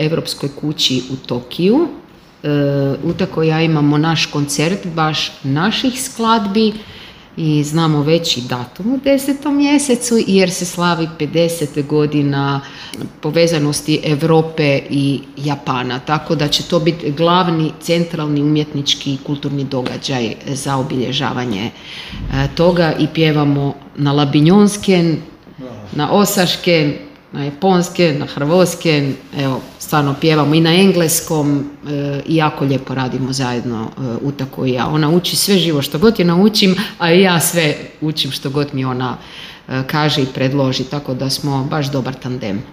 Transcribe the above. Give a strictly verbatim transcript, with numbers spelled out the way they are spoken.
Europskoj kući u Tokiju. Utako ja imamo naš koncert baš naših skladbi i znamo već i datum u desetom mjesecu jer se slavi pedeset godina povezanosti Europe i Japana, tako da će to biti glavni centralni umjetnički i kulturni događaj za obilježavanje toga i pjevamo na labinjonsken, na osašken, na japonsken, na hrvatsken, evo, stvarno pjevamo i na engleskom e, i jako lijepo radimo zajedno e, Utako i ja. Ona uči sve živo što god je naučim, a i ja sve učim što god mi ona e, kaže i predloži, tako da smo baš dobar tandem.